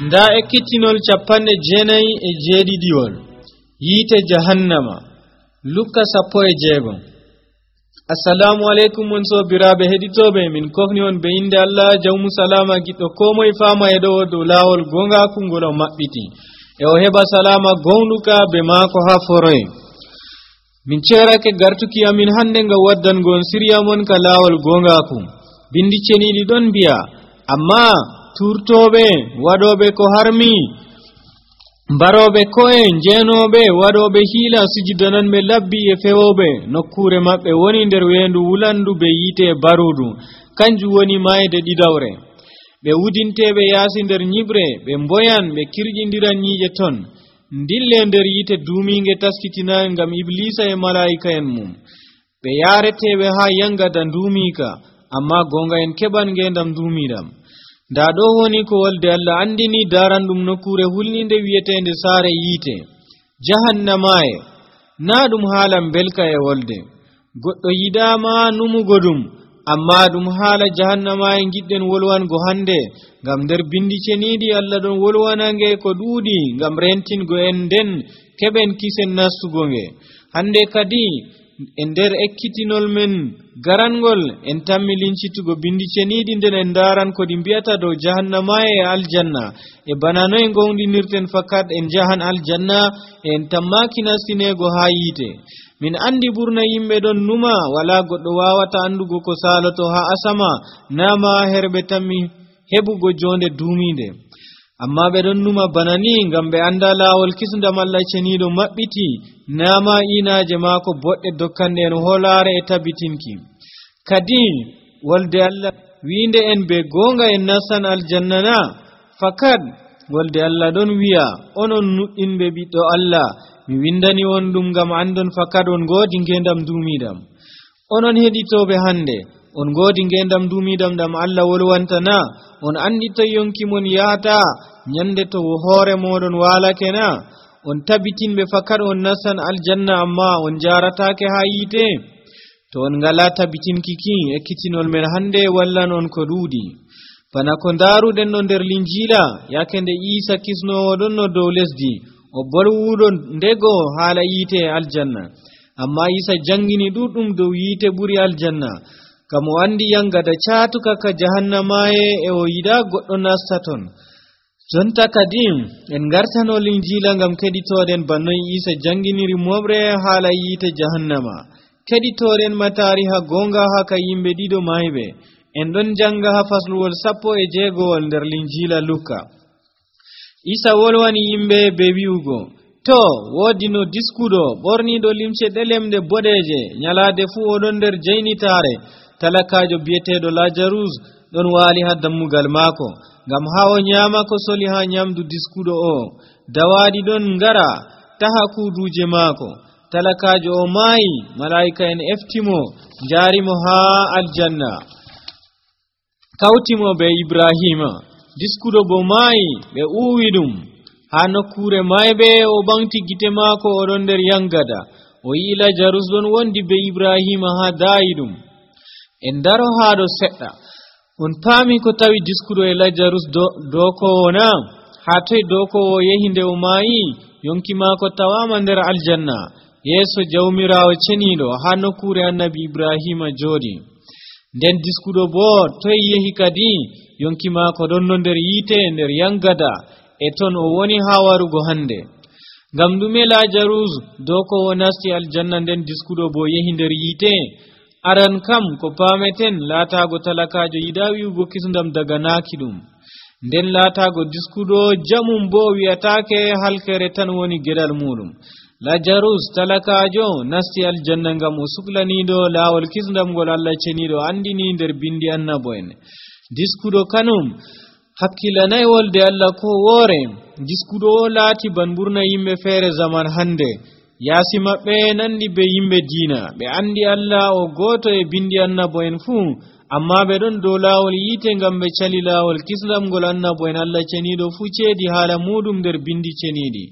nda ekkitinol 97 yiite jahannama lukka 16. assalamu alaikum mon sobiraɓe heɗitoɓe min kofni on be inde Allah jawmu salama giɗɗo komoye fama e ɗo dow lawol gongaku ngol o maɓɓiti e o heɓa salama gonɗuka be maako ha foroye. min cerake gartuki amin hande nga waddangon siriya mon ka lawol gongaku. bindi ceniɗi ɗon biya amma turtoɓe waɗoɓe ko harmi baroɓe ko'e jenoɓe waɗoɓe hiila sujudananɓe labbi e fewoɓe nokkure maɓɓe woni nder wendu wulandu be yiite barudu kanjum woni mayde ɗiɗawre. ɓe wudinteɓe yaasi nder nyiɓre ɓe mboyan ɓe kirƴidiran ñiiƴe ton dille nder yiite duuminge taskitinayi ngam iblisa e malaika en mum. ɓe yareteɓe ha yangada duumika amma gonga en keɓan ngendam duumiɗam. nda ɗo woni ko wolde Allah andini daran ɗum nokkure hulninde wiyetende saare yiite jahannamaye. na ɗum haala belka e wolde goɗɗo yidama numugo ɗum amma ɗum haala jahannamaye giɗɗen wolwango hande ngam nder bindi ceniɗi Allah ɗon wolwanange ko ɗuuɗi ngam rentingo en nden keɓen kisen nastugo nge. hande kadi e nder ekkitinol men garangol en tammi lincitugo bindi ceniɗi nden en daran ko ɗi mbiyata dow jahannamaye e aljanna e bana noye gowɗinirten fakat en jahan aljanna e en tammaki nastinego ha yiite. min andi ɓurna yimɓe ɗon numa wala goɗɗo wawata andugo ko saloto ha asama nama herɓe tammi heɓugo jonde duumide amma ɓe ɗon numa bana ni ngam ɓe anda lawol kisndam Allah ceniɗo maɓɓiti nama inaje maako boɗɗe dokkande en holare e tabbitinki. kadi wolde Allah wiinde en be gonga en nastan aljanna na fakat wolde Allah ɗon wiya onon nuɗɗinɓe ɓiɗɗo Allah mi windani on ɗum ngam andon fakat on godi ngendam duumidam. onon heɗitoɓe hande on godi ngendam duumidam ɗam Allah wolwantana on andi to yonki mon yahata nyande to hoore moɗon walake na on tabbitinɓe fakat on nastan aljanna amma on jaratake ha yiite. to on ngala tabbitinkiki ekkitinol men hande wallan on ko ɗuuɗi bana ko daruɗen no nder linjila yakende Isa kisnowo ɗon no dow lesdi o bolwuɗo ndego haala yiite e aljanna amma Isa jangini ɗuɗɗum dow yiite ɓuri aljanna kam o andi yangada catuka ka jahannamaye e o yiɗa goɗɗo nasta ton. jonta kadi en gartano linjila ngam keɗitoɗen bannoy Isa janginiri moɓre haala yiite jahannama. keɗitoɗen ma tariha gonga ha ka yimɓe ɗiɗo mayɓe en ɗon janga ha fasluwol 16 nder linjila Luka. Isa wolwani yimɓe be wi'ugo to wodi no diskuɗo ɓorniɗo limce ɗelemde boɗeje nyalade fu oɗon nder jaynitare talakajo biyeteɗo Lazarus ɗon wali ha dammugal maako ngam ha o nyama ko soli ha nyamdu diskuɗo o. dawaɗi ɗon ngara taha kuuduje maako. talakajo o maayi malaika en eftimo jarimo ha aljanna kawtimo be Ibrahima. diskuɗo bo maayi ɓe uwi ɗum ha nokkure mayɓe o ɓamti gite maako oɗon nder yangada o yi Lazarus ɗon wondi be Ibrahima ha daayi ɗum. en daro ha ɗo seɗɗa on paami ko tawi diskuɗo e Lazarus dokowo na ha toy dokowo yehi nde o maayi yonki maako tawama nder aljanna yeeso jawmirawo ceniɗo ha nokkure annabi Ibrahima jooɗi. nden diskuɗo bo toy yehi kadi yonki maako ɗon no nder yiite nder yangada e ton o woni ha warugo hande. ngam ɗume Lazarus dokowo nasti aljanna nden diskuɗo bo yehi nder yiite? aran kam ko pameten laatago talakajo yiɗa wi'ugo kisndam daga naaki ɗum nden laatago diskuɗo jamum bo wi'atake halkere tan woni geɗal muɗum. Lazarus talakajo nasti aljanna ngam o suklaniɗo laawol kisndam ngol Allah ceniɗo andini nder bindi annabo en. diskuɗo kanum hakkilanay wolde Allah ko woore. diskuɗo o laati ban ɓurna yimɓe feere zaman hande yaasi maɓɓe nandi be yimɓe diina ɓe andi Allah o goto e bindi annabo en fuu amma ɓe ɗon dow laawol yiite ngam ɓe cali laawol kisndam ngol annabo en Allah ceniɗo fuu ceedi haala muɗum nder bindi ceniɗi.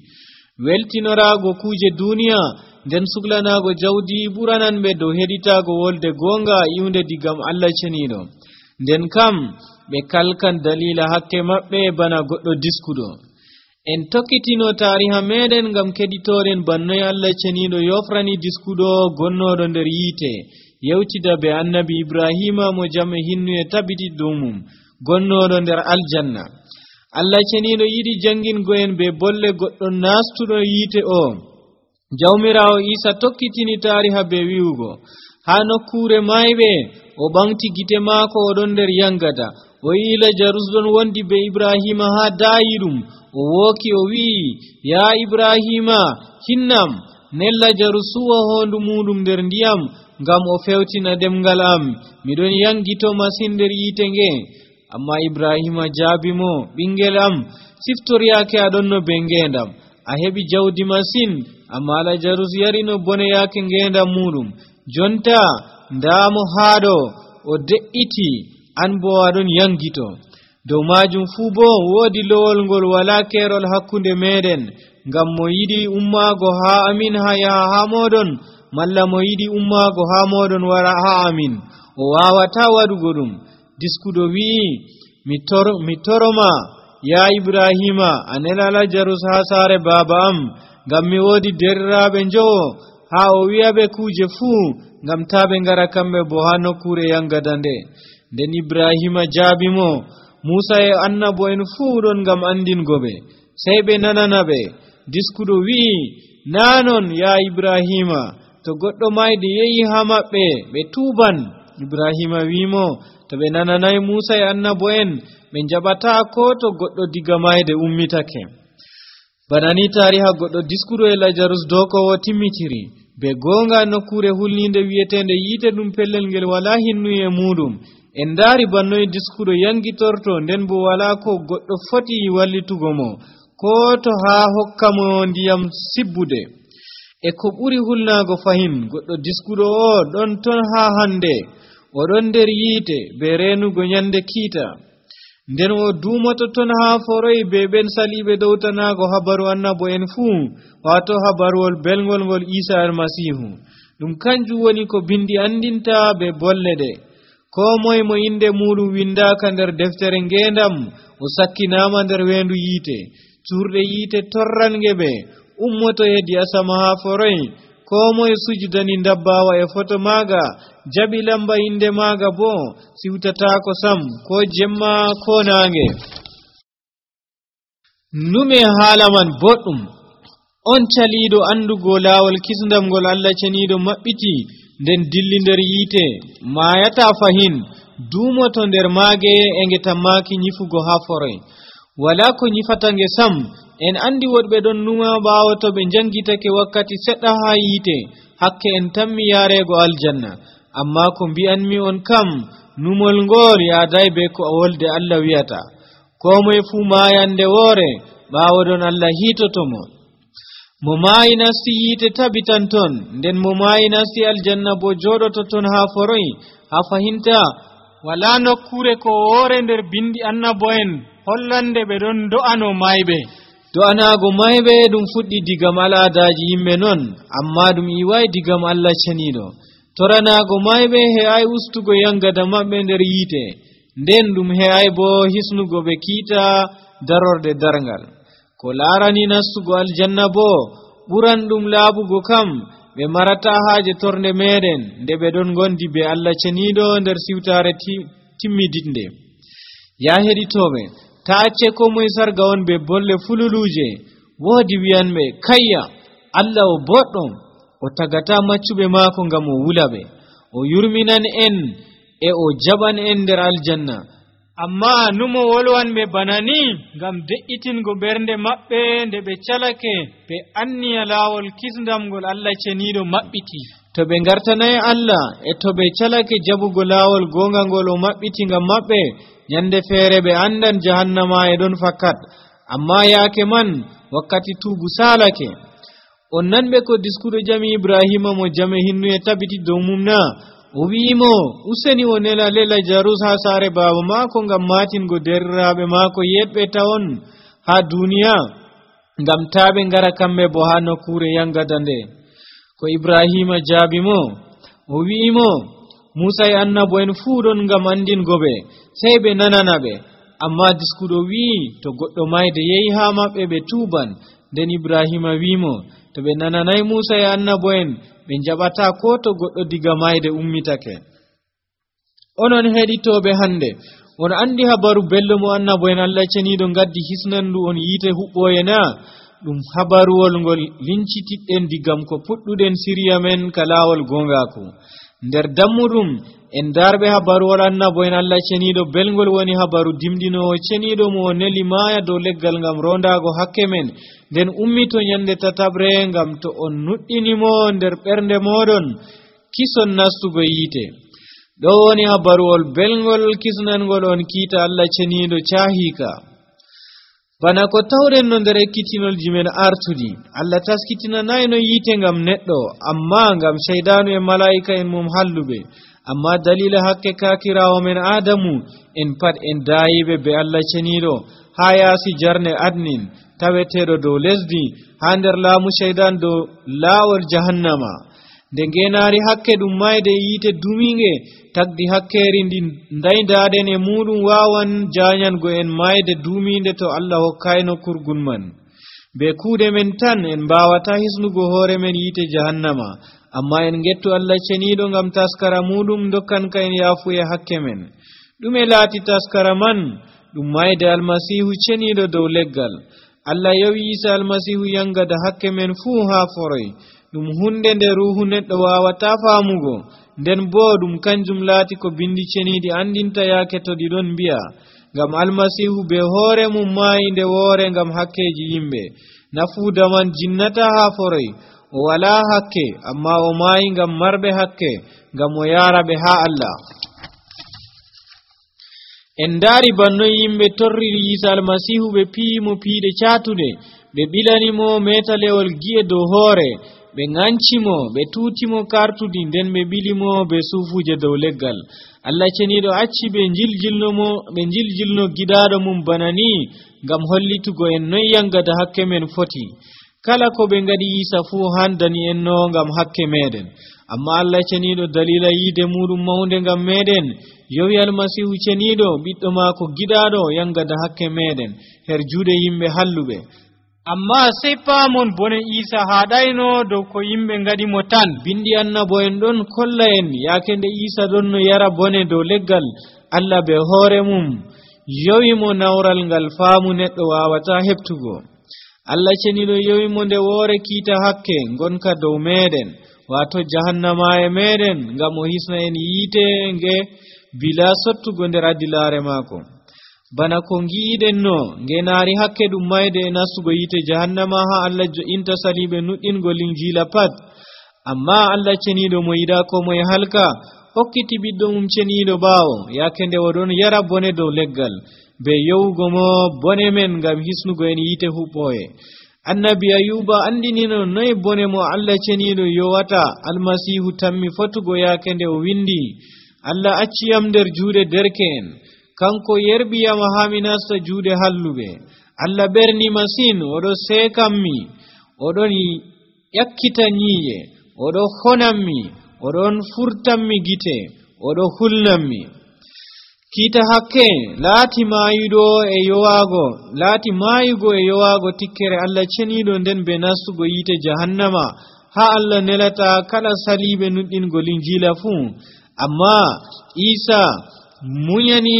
weltinorago kuje duniya nden suklanago jawdi ɓuranan ɓe dow heɗitago wolde gonga iwnde digam Allah ceniɗo. nden kam ɓe kalkan dalila hakke maɓɓe bana goɗɗo diskuɗo. En tokkitino tariha meɗen ngam keɗitoren bannoy Allah ceniɗo yofrani diskuɗo gonnoɗo nder yiite yewtida be annabi Ibrahima mo jam e hinnu e tabiti dow mum gonnoɗo nder aljanna. Allah ceniɗo yiɗi jangingo'en be bolle goɗɗo nastuɗo yiite o. Jawmirawo Isa tokkitini tariha be wi'ugo ha nokkure mayɓe o ɓamti gite maako oɗon nder yangada o yi Lajarus ɗon wondi be Ibrahima ha dayiɗum o wooki o wi'i ya Ibrahima hinnam nen Lajarus suwa hondu muɗum nder ndiyam ngam o fewtina ɗemgal am miɗon yangito masin nder yiite nge. Amma Ibrahima jaabimo ɓingel am siftoryaake aɗon no be ngendam a heɓi jawdi masin amma Lajarus yarino bone yaake ngendam muɗum jonta ndamo haɗo o de'iti an bo aɗon yangito. Dow majum fuu bo woodi lowol ngol wala kerol hakkunde meɗen ngam mo yiɗi ummaago ha amin ha yaha ha moɗon malla mo yiɗi ummaago ha moɗon wara ha amin o wawata waɗugo ɗum. Diskuɗo wi'i mi toroma ya Ibrahima a nela Lajarus ha saare baba am ngam mi woodi deriraɓe njowo ha o wi'aɓe kuje fuu ngam ta ɓe ngara kamɓe bo ha nokkure yangada nde. Nden Ibrahima jaabimo Musa e annabo en fuu ɗon ngam andingo ɓe sey ɓe nanana ɓe. Diskuɗo wi'i nanon ya Ibrahima to goɗɗo mayde yehi ha maɓɓe ɓe tuuban. Ibrahima wi'imo to ɓe nananay Musa e annabo en ɓe jaɓata ko to goɗɗo diga mayde ummitake. Bana ni tariha goɗɗo diskuɗo e Lajarus dokowo timmitiri be gonga nokkure hulninde wi'etende yiite ɗum pellel ngel wala hinnu e muɗum. En daari bannoy diskuɗo yangitorto nden bo wala ko goɗɗo foti wallitugo mo ko to ha hokka mo ndiyam sibbude. E ko ɓuri hulnago fahin goɗɗo diskuɗo o ɗon ton ha hande o ɗon nder yiite be renugo nyande kiita nden o duumoto ton ha foroy be ɓen saliɓe dowtanago habaru annabo en fuu wato habaruwol belgol ngol Isa almasihu. Ɗum kanjum woni ko bindi andinta be bolle ɗe. Ko moye mo inde muɗum windaka nder deftere ngendam o sakkinama nder wendu yiite. Curɗe yiite torrange ɓe ummoto hedi asama ha foroy. Ko moye sujudani ndabbawa e foto maga jaɓi lamba inde maga bo siwtatako sam ko jemma ko nange. Nume haala man boɗɗum on caliɗo andugo laawol kisndam ngol Allah ceniɗo maɓɓiti nden dilli nder yiite mayata fahin duumoto nder maage e nge tammaki nyifugo ha foroy wala ko nyifata nge sam. En andi woɗɓe ɗon numa ɓaawo to ɓe jangitake wakkati seɗɗa ha yiite hakke en tammi yarego aljanna. Amma ko mbi'anmi on kam numol ngol yaaday be ko wolde Allah wi'ata ko moye fuu mayande woore ɓaawo ɗon Allah hiitotomo. Mo maayi nasti yiite tabitan ton nden mo maayi nasti aljanna bo joɗoto ton ha foroy. Ha fahinta wala nokkure ko woore nder bindi annabo en hollande ɓe ɗon do'ano mayɓe. Do'anago mayɓe ɗum fuɗɗi digam al'adaji yimɓe non amma ɗum iwai digam Allah ceniɗo. Toranago mayɓe he'ai ustugo yangada maɓɓe nder yiite nden ɗum he'ai bo hisnugo ɓe kiita darorde darngal. Ko larani nastugo aljanna bo ɓuran ɗum laaɓugo kam ɓe marata haaje tornde meɗen nde ɓe ɗon gondi be Allah ceniɗo nder siwtare timmidinde. Ya heɗitoɓe ta acce ko moye sarga on be bolle fululuje woodi wi'anɓe kayya Allah o boɗɗo o tagata maccuɓe maako ngam o wulaɓe o yurminan en e o jaɓan en nder aljanna. Amma numo wolwanɓe bana ni ngam de'itingo ɓernde maɓɓe nde ɓe calake ɓe anniya laawol kisndam ngol Allah ceniɗo maɓɓiti. To ɓe ngartanayi Allah e to ɓe calake jaɓugo laawol gonga ngol o maɓɓiti ngam maɓɓe nyande feere ɓe andan jahannama e ɗon fakkat. Amma yaake man wakkati tuubu salake. On nanɓe ko diskuɗo jami Ibrahima mo jame hinnu e tabiti dow mum na o wi'imo useni o nela Lajarus ha saare baba maako ngam matingo deriraɓe maako yeɗɓe tawon ha duniya ngam taɓe ngara kamɓe bo ha nokkure yangada nde. Ko Ibrahima jaabimo o wi'imo Musa e annabo en fuu ɗon ngam andingoɓe sey ɓe nanana ɓe. Amma diskuɗo wi'i to goɗɗo mayde yehi haa maɓɓe ɓe tuuban. Nden Ibrahima wi'imo to ɓe nananay Musa e annabo en ɓe jaɓata ko to goɗɗo diga mayde ummitake. Onon heɗitoɓe hande, on andi habaru bello mo annabo en Allah ceniɗo gaddi hisnandu on yiite huɓɓoye na? Ɗum habaruwol ngol lincitiɗɗen digam ko puɗɗuɗen siriya men ka laawol gongaku. Nder dammuɗum en darɓe habaruwol annabo en Allah ceniɗo belgol woni habaru dimɗinowo ceniɗo mo neli maaya dow leggal ngam rondago hakke men, nden ummito nyande tatabre ngam to on nuɗɗinimo nder ɓernde moɗon kison nastugo yiite. ɗo woni habaruwol belgol kisnangol on kiita Allah ceniɗo cahika. Bana ko tawren no nder ekkitinolji men artudi, Allah taskitinanayno yiite ngam neɗɗo, amma ngam shaydanu e malaika en mum halluɓe. Amma dalila hakke kakirawo men Adamu en pat en dayiɓe be Allah ceniɗo ha yaasi jarne adnin taweteɗo dow lesdi ha nder laamu shaydan dow laawol jahannama. Nde ngenaari hakke ɗum mayde yiite duminge tagdi hakkeri ndi daydaden e muɗum wawan janyango en mayde duminde to Allah hokkayno kurgul man. Be kuuɗe men tan en mbawata hisnugo hoore men yiite jahannama, amma en gettu Allah ceniɗo ngam taskara muɗum dokkanka en yaafu e hakke men. ɗume laati taskara man? ɗum mayde almasihu ceniɗo dow leggal. Allah yowi Isa almasihu yangada hakke men fuu ha foroy. ɗum hunde nde ruhu neɗɗo wawata faamugo, nden bo ɗum kanjum laati ko bindi ceniɗi andinta yaake to ɗi ɗon mbi'a, ngam almasihu be hoore mum maayi nde woore ngam hakkeji yimɓe. Nafuuda man jinnata ha foroy, o wala hakke, amma o maayi ngam marɓe hakke, ngam o yaara ɓe ha Allah. En daari bannoy yimɓe torriri Isa almasihu ɓe piimo piiɗe caatuɗe, ɓe ɓilanimo metalewol gi'e dow hoore, ɓe ŋancimo, ɓe tuutimo kartudi, nden ɓe ɓilimo be suufuje dow leggal. Allah ceniɗo acci ɓe jiljilno giɗaɗo mum bana ni ngam hollitugo en noy yangada hakke men foti. Kala ko ɓe ngadi Isa fuu handani en no ngam hakke meɗen. Amma Allah ceniɗo dalila yiide muɗum mawnde ngam meɗen yowi almasihu ceniɗo ɓiɗɗo maako giɗaɗo yangada hakke meɗen her juuɗe yimɓe halluɓe. Amma sey paamon bone Isa haɗayno dow ko yimɓe ngaɗimo tan. Bindi annabo en ɗon kolla en yaake nde Isa ɗon no yara bone dow leggal, Allah be hoore mum yowimo nawral ngal faamu neɗɗo wawata heɓtugo. Allah ceniɗo yowimo nde woore kiita hakke gonka dow meɗen, wato jahannama e meɗen, ngam o hisna en yiite nge bila sottugo nder adilare maako. Bana ko ngiiɗen no ngenaari hakke ɗum mayde e nastugo yiite jahannama ha Allah jo'inta saliɓe nuɗɗingo linjila pat. Amma Allah ceniɗo mo yiɗa ko moye halka hokkiti ɓiɗɗo mum ceniɗo ɓaawo yaake nde oɗon yara bone dow leggal, be yowugo mo bone men ngam hisnugo en yiite huɓɓoye. Annabi Ayuba andinino noy bone mo Allah ceniɗo yowata almasihu tammi fotugo yaake nde o windi, Allah acciyam nder juuɗe derke'en, kanko yerbiyama ha mi nasta juuɗe halluɓe. Allah ɓerni masin, oɗo seekanmi, oɗon ƴakkita nyii'e, oɗo honanmi, oɗon furtanmi gite, oɗo hulnanmi. Kiita hakke laati maayugo e yowaago tikkere Allah ceniɗo, nden be nastugo yiite jahannama ha Allah nelata kala saliɓe nuɗɗingo linjila fuu. Amma Isa munyani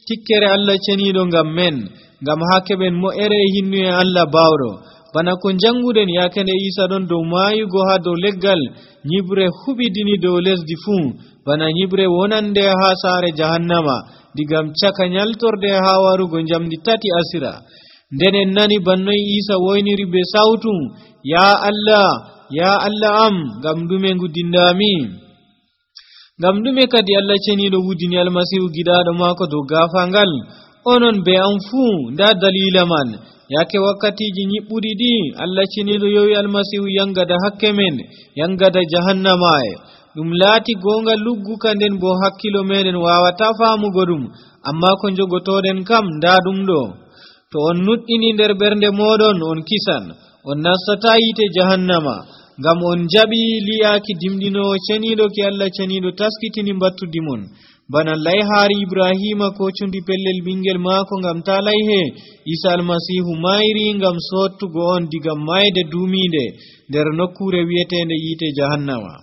tikkere Allah ceniɗo ngam men, ngam ha keɓen mo'ere hinnu e Allah bawɗo. Bana ko janguɗen yaake nde Isa ɗon dow maayugo ha dow leggal, nyibre huɓidini dow lesdi fuu, bana nyibre wonande ha saare jahannama digam caka nyaltorde ha warugo jamdi 3 asira. Nden en nani bannoy Isa woyniri be sawtu, ya Allah am, ngam ɗume nguddindami? Ngam ɗume kadi Allah ceniɗo wudini almasihu giɗaɗo maako dow gaafangal? Onon be am fuu nda dalila man. Yaake wakkatiji nyiɓɓuɗi ɗi Allah ceniɗo yowi almasihu yangada hakke men, yangada jahannama e. Ɗum laati gonga lugguka, nden bo hakkilo meɗen wawata faamugo ɗum, amma ko jogotoɗen kam nda ɗum ɗo. To on nuɗɗini nder ɓernde moɗon on kisan, on nastata yiite jahannama. ngam on jaɓi li'aaki dimɗinowo ceniiɗo ki Allah ceniiɗo taskitini battudimon bana layhaari Ibrahima ko cundi pellel ɓingel maako ngam ta layhe Isa almasihu mayri ngam sottugo on diga mayde duuminde nder nokkure wi'etende yiite jahannama.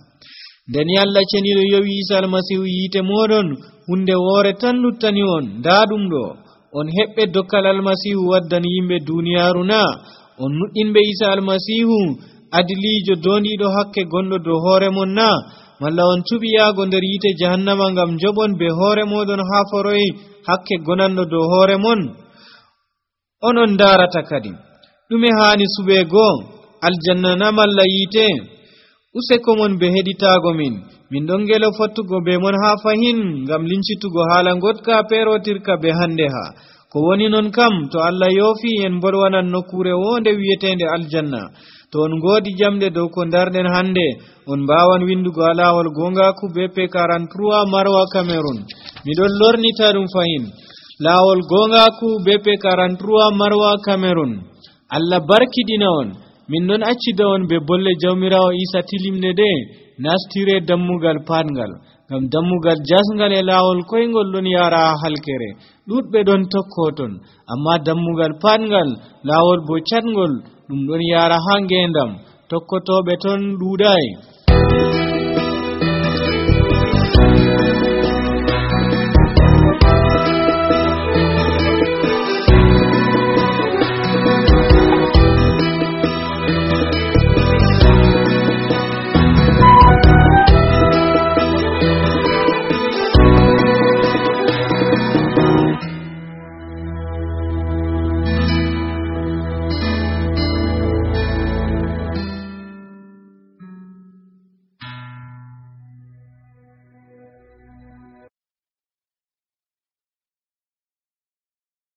nden Allah ceniiɗo yowi Isa almasihu yiite moɗon hunde woore tan luttani on nda ɗum ɗo on heɓɓe dokkal almasihu waddan yimɓe duniyaaru na on nuɗɗinɓe Isa almasihu adiliijo dondiiɗo hakke gonɗo dow hoore mon na malla on cuɓi yaago nder yiite jahannama ngam joɓon be hoore moɗon haa foroy hakke gonanɗo dow hoore mon. onon ndaarata kadi ɗume haani suɓeego aljanna na malla yiite? useko mon be heɗitaago min ɗon ngelo fottugo be mon haa fahin ngam lincitugo haala ngotka peerotirka be hande ha ko woni non kam to Allah yoofi en bolwanan nokkure wonde wi'etende aljanna. to on ngoodi jamɗe dow ko darɗen hande on mbawan windugo alawol gongaku BP 43 Marwa Cameroon. miɗon lornita ɗum fahin lawol gongaku BP 43 Marwa Cameroon. Allah barkidina on. min non accida on be bolle jawmirawo Isa tilimne de nastire dammugal patngal ngam dammugal jasngal e lawol koyngol ɗon yara halkere ɗuɗɓe ɗon tokkoton amma dammugal patngal lawol bo catngol ɗum ɗon yara ha ngendam tokkotoɓe ton ɗuɗai.